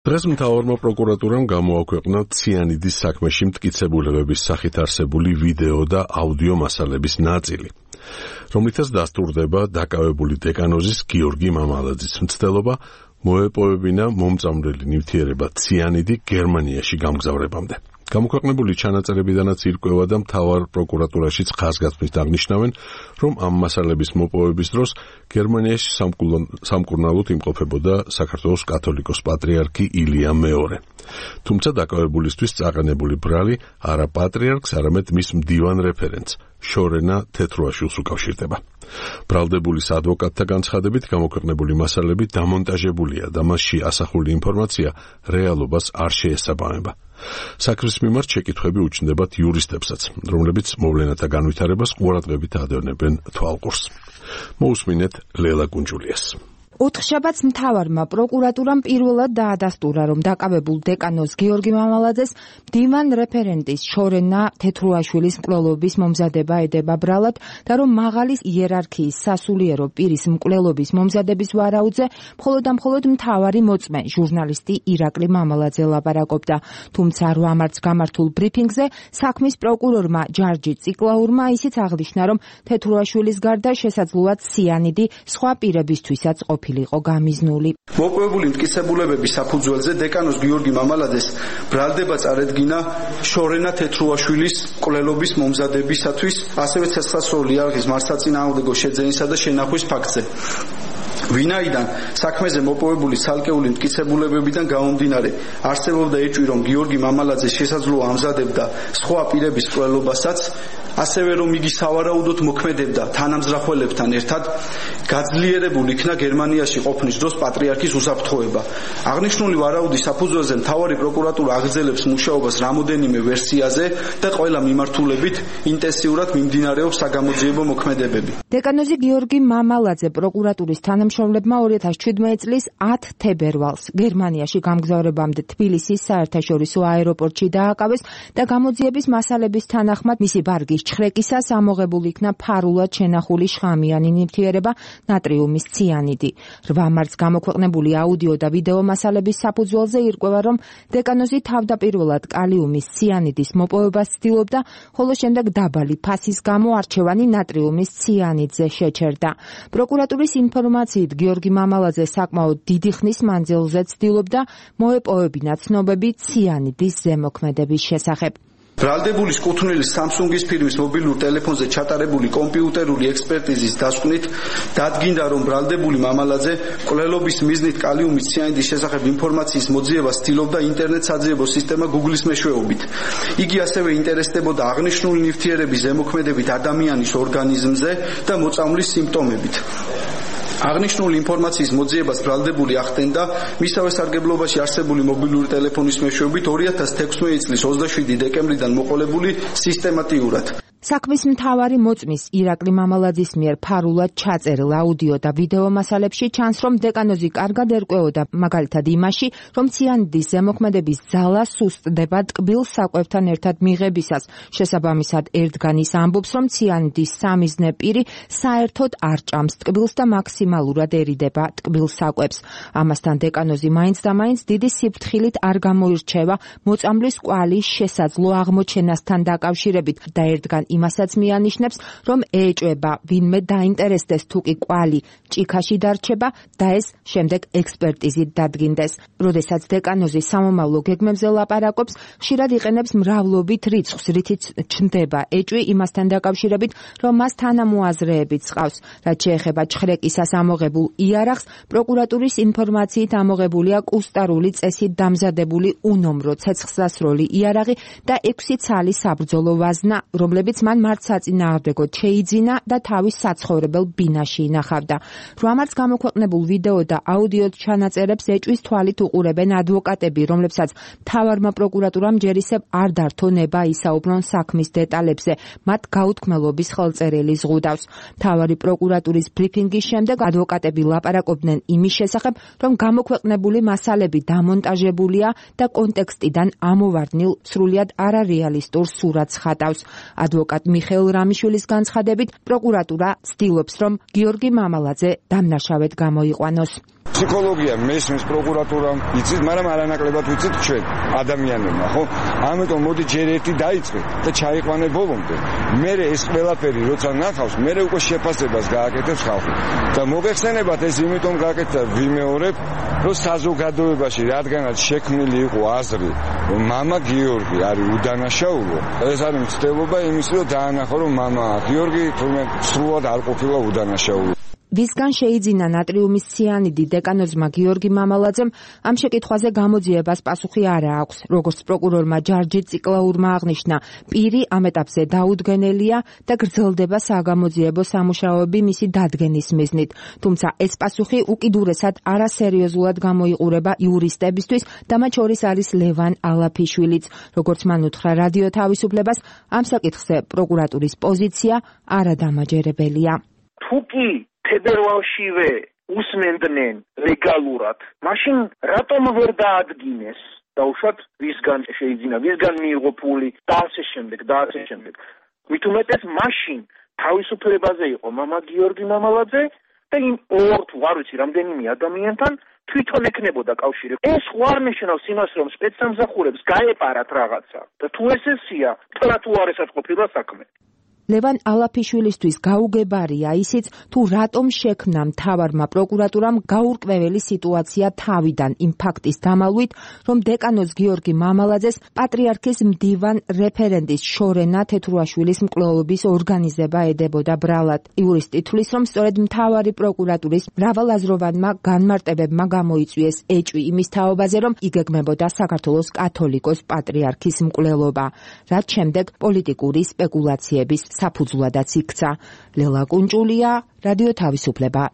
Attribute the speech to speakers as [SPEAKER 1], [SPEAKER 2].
[SPEAKER 1] დღეს მთავარმა პროკურატურამ გამოაქვეყნა ციანიდის საქმეში მტკიცებულებების სახით არსებული ვიდეო და აუდიო მასალების ნაწილი, რომლითაც დასტურდება დაკავებული დეკანოზის გიორგი მამალაძის მცდელობა მოეპოვებინა მომწამვლელი ნივთიერება ციანიდი გერმანიაში გამგზავრებამდე. გამოქვეყნებული ჩანაწერებიდანაც ირკვევა და მთავარ პროკურატურაშიც ხაზგასმით აღნიშნავენ, რომ ამ მასალების მოპოვების დროს გერმანიაში სამკურნალოდ იმყოფებოდა საქართველოს კათოლიკოს პატრიარქი ილია მეორე. თუმცა დაკავებულისთვის წაყენებული ბრალი არა პატრიარქს, არამედ მის მდივან რეფერენტს, შორენა თეთრუაშვილს უკავშირდება. ბრალდებულის ადვოკატთა განცხადებით გამოქვეყნებული მასალები დამონტაჟებულია და მასში ასახული ინფორმაცია რეალობას არ შეესაბამება. საქმის მიმართ შეკითხვები უჩნდებათ იურისტებსაც, რომლებიც მოვლენათა განვითარებას ყურადღებით ადევნებენ თვალყურს. მოусმინეთ ლელა გუნჯულიას.
[SPEAKER 2] ოთხშაბათს მთავარმა პროკურატურამ პირველად დაადასტურა, რომ დაკავებულ დეკანოზ გიორგი მამალაძეს მდივან რეფერენტის შორენა თეთრუაშვილის მკვლელობის მომზადება ედება ბრალად და რომ მაღალი იერარქიის სასულიერო პირის მკვლელობის მომზადების ვარაუდზე მხოლოდ მთავარი მოწმე ჟურნალისტი ირაკლი მამალაძე ლაპარაკობდა. თუმცა 8 მარტს გამართულ ბრიფინგზე საქმის პროკურორმა ჯარჯი ციკლაურმა ისიც აღნიშნა, რომ თეთრუაშვილის გარდა შესაძლოა ციანიდი სხვა პირებისთვისაც ყოფილიყო გამიზნული.
[SPEAKER 3] მოპოვებული მტკიცებულებების საფუძველზე დეკანოზ გიორგი მამალაძეს ბრალდება წარედგინა შორენა თეთრუაშვილის მკვლელობის მომზადებისათვის, ასევე ცეცხლსროლი იარაღის მარცხაწინააღმდეგო შეძენისა და შენახვის ფაქტზე. ვინაიდან საქმეზე მოპოვებული ცალკეული მტკიცებულებებიდან გამომდინარე არსებობდა ეჭვი, რომ გიორგი მამალაძე შესაძლოა ამზადებდა სხვა პირების მკვლელობასაც, ასევე რომ იგი სავარაუდოდ მოქმედებდა თანამზრახველებთან ერთად, გაძლიერებულ იქნა გერმანიაში ყოფნის დროს პატრიარქის უსაფრთხოება. აღნიშნული ვარაუდის საფუძველზე მთავარი პროკურატურა აგრძელებს მუშაობას რამოდენიმე ვერსიაზე და ყველა მიმართულებით ინტენსიურად მიმდინარეობს საგამოძიებო მოქმედებები.
[SPEAKER 2] დეკანოზი გიორგი მამალაძე პროკურატურის თანამშრომლებმა 2017 წლის 10 თებერვალს გერმანიაში გამგზავრებამდე თბილისის საერთაშორისო აეროპორტში დააკავეს და გამოძიების მასალების თანახმად მისი ბარგის ჩხრეკისას ამოღებულ იქნა ფარულად შენახული შხამიანი ნივთიერება ნატრიუმის ციანიდი. 8 მარტს გამოქვეყნებული აუდიო და ვიდეო მასალების საფუძველზე ირკვევა, რომ დეკანოზი თავდაპირველად კალიუმის ციანიდის მოპოვებას ცდილობდა, ხოლო შემდეგ დაბალი ფასის გამო არჩევანი ნატრიუმის ციანიდზე შეჩერდა. პროკურატურის ინფორმაციით გიორგი მამალაძე საკმაოდ დიდი ხნის მანძილზე ცდილობდა მოეპოვებინა ცნობები ციანიდის ზემოქმედების შესახებ.
[SPEAKER 3] ბრალდებულის კუთვნილის Samsung-ის ფირმის მობილურ ტელეფონზე ჩატარებული კომპიუტერული ექსპერტიზის დასკვნით დადგინდა, რომ ბრალდებული მამალაძე მკვლელობის მიზნით კალიუმის ციანიდის შესახებ ინფორმაციის მოძიებას ცდილობდა ინტერნეტ საძიებო სისტემა Google-ის მეშვეობით. იგი ასევე ინტერესდებოდა აღნიშნული ნივთიერების ზემოქმედებით ადამიანის ორგანიზმზე და მოწამვლის სიმპტომებით. აღნიშნული ინფორმაციის მოძიებას ბრალდებული ახდენდა მისავე სარგებლობაში არსებული მობილური ტელეფონის მეშვეობით 2016 წლის 27 დეკემბრიდან მოყოლებული სისტემატიურად.
[SPEAKER 2] საქმის მთავარი მოწმის ირაკლი მამალაძის მიერ ფარულად ჩაწერილ აუდიო და ვიდეო მასალებში ჩანს, რომ დეკანოზი კარგად ერკვეოდა მაგალითად იმაში, რომ ციანიდის ზემოქმედების ძალა სუსტდება ტკბილ საკვებთან ერთად მიღებისას. შესაბამისად, ერთგან ის ამბობს, რომ ციანიდის სამიზნე პირი საერთოდ არ ჭამს ტკბილს და მაქსიმალურადერიდება ტკბილ საკვებს. ამასთან დეკანოზი მაინც და მაინც დიდი სიფრთხილით არ გამოირჩევა მოწამვლის კვალის შესაძლო აღმოჩენასთან დაკავშირებით და ერთგან იმასაც მიანიშნებს, რომ ეჭვება ვინმე დაინტერესდეს თუ კი კვალი ჭიქაში დარჩება და ეს შემდეგ ექსპერტიზით დადგინდეს. როდესაც დეკანოზი სამომავლო გეგმებზე ლაპარაკობს, ხშირად იყენებს მრავლობით რიცხვს, რითიც ჩნდება ეჭვი იმასთან დაკავშირებით, რომ მას თანამოაზრეებიც ჰყავს. რაც შეეხება ჩხრეკისას ამოღებულ იარაღს, პროკურატურის ინფორმაციით ამოღებულია კუსტარული წესით დამზადებული უნომრო ცეცხლსასროლი იარაღი და 6 ცალი საბრძოლო ვაზნა, რომლებიც მან მარცხაწინააღმდეგოდ შეიძინა და თავის საცხოვრებელ ბინაში ინახავდა. 8 მარტს გამოქვეყნებულ ვიდეო და აუდიო ჩანაწერებს ეჭვის თვალით უყურებენ ადვოკატები, რომლებსაც მთავარმა პროკურატურამ ჯერ ისევ არ დართო ნება ისაუბრონ საქმის დეტალებზე, მათ გაუთქმელობის ხელწერილი ზღუდავს. მთავარი პროკურატურის ბრიფინგის შემდეგ ადვოკატები ლაპარაკობდნენ იმის შესახებ, რომ გამოქვეყნებული მასალები დამონტაჟებულია და კონტექსტიდან ამოვარდნილ სრულიად არარეალისტურ სურათს ხატავს. ადვოკატ მიხეილ რამიშვილის განცხადებით, პროკურატურა ცდილობს, რომ გიორგი მამალაძე დამნაშავედ გამოიყვანოს.
[SPEAKER 4] ფსიქოლოგია მესმის პროკურატურამ იცით, მაგრამ არანაკლებად ვიცით ჩვენ ადამიანებმა, ხო? ამიტომ მოდი ჯერ ერთი დაიწყე და ჩაიყვანე ბოლომდე. მე ეს ყველაფერი როცა ნახავს, მე უკვე შეფასებას გააკეთებს ხალხი. და მოგეხსენებათ ეს იმიტომ გააკეთა ვიმეორებ, რომ საზოგადოებაში რადგანაც შექმნილი იყო აზრი, რომ მამა გიორგი არის უდანაშაულო, ეს არის მცდელობა იმის, რომ დაანახო, რომ მამა გიორგი თურმე სრულად არ ყოფილა უდანაშაულო.
[SPEAKER 2] ვისგან შეიძინა ნატრიუმის ციანიდი დეკანოზმა გიორგი მამალაძემ ამ შეკითხვაზე გამოძიებას პასუხი არ აქვს. როგორც პროკურორმა ჯარჯი ციკლაურმა აღნიშნა, პირი ამ ეტაპზე დაუდგენელია და გრძელდება საგამოძიებო სამუშაოები მისი დადგენის მიზნით. თუმცა ეს პასუხი უკიდურესად არასერიოზულად გამოიყურება იურისტებისთვის და მათ შორის არის ლევან ალაფიშვილიც. როგორც მან უთხრა რადიო თავისუფლებას, ამ საკითხზე პროკურატურის პოზიცია არადამაჯერებელია.
[SPEAKER 5] თუკი ფედერალშივე უსმენდნენ ლეგალურად, მაშინ რატომ ვერ დაადგინეს? დაუშვათ ვისგან შეიძინა, ვისგან მიიღო ფული და ასე შემდეგ. მით უმეტეს მაშინ თავისუფლებაზე იყო მამა გიორგი მამალაძე და იმ ორ თუ არ ვიცი რამდენიმე ადამიანთან თვითონ ეკნებოდა კავშირი. ეს არ ნიშნავს იმას, რომ სპეცსამსახურებს გაეპარათ რაღაცა და თუ ესეა, თუ არ ესაც ყოფილა საქმე.
[SPEAKER 2] ლევან ალაფიშვილისთვის გაუგებარია ისიც, თუ რატომ შექმნა მთავარმა პროკურატურამ გაურკვეველი სიტუაცია თავიდან იმ ფაქტის დამალვით, რომ დეკანოზ გიორგი მამალაძეს პატრიარქის მდივან რეფერენდის შორენა თეთრუაშვილის მკვლელობის ორგანიზება ედებოდა ბრალად. იურისტი თვლის, რომ სწორედ მთავარი პროკურატურის მრავალაზროვანმა განმარტებებმა გამოიწვიეს ეჭვი იმის თაობაზე, რომ იგეგმებოდა საქართველოს კათოლიკოს პატრიარქის მკვლელობა, რაც შემდეგ პოლიტიკური სპეკულაციების საფუძვლადაც იქცა. ლელა კუნჭულია, რადიო თავისუფლება,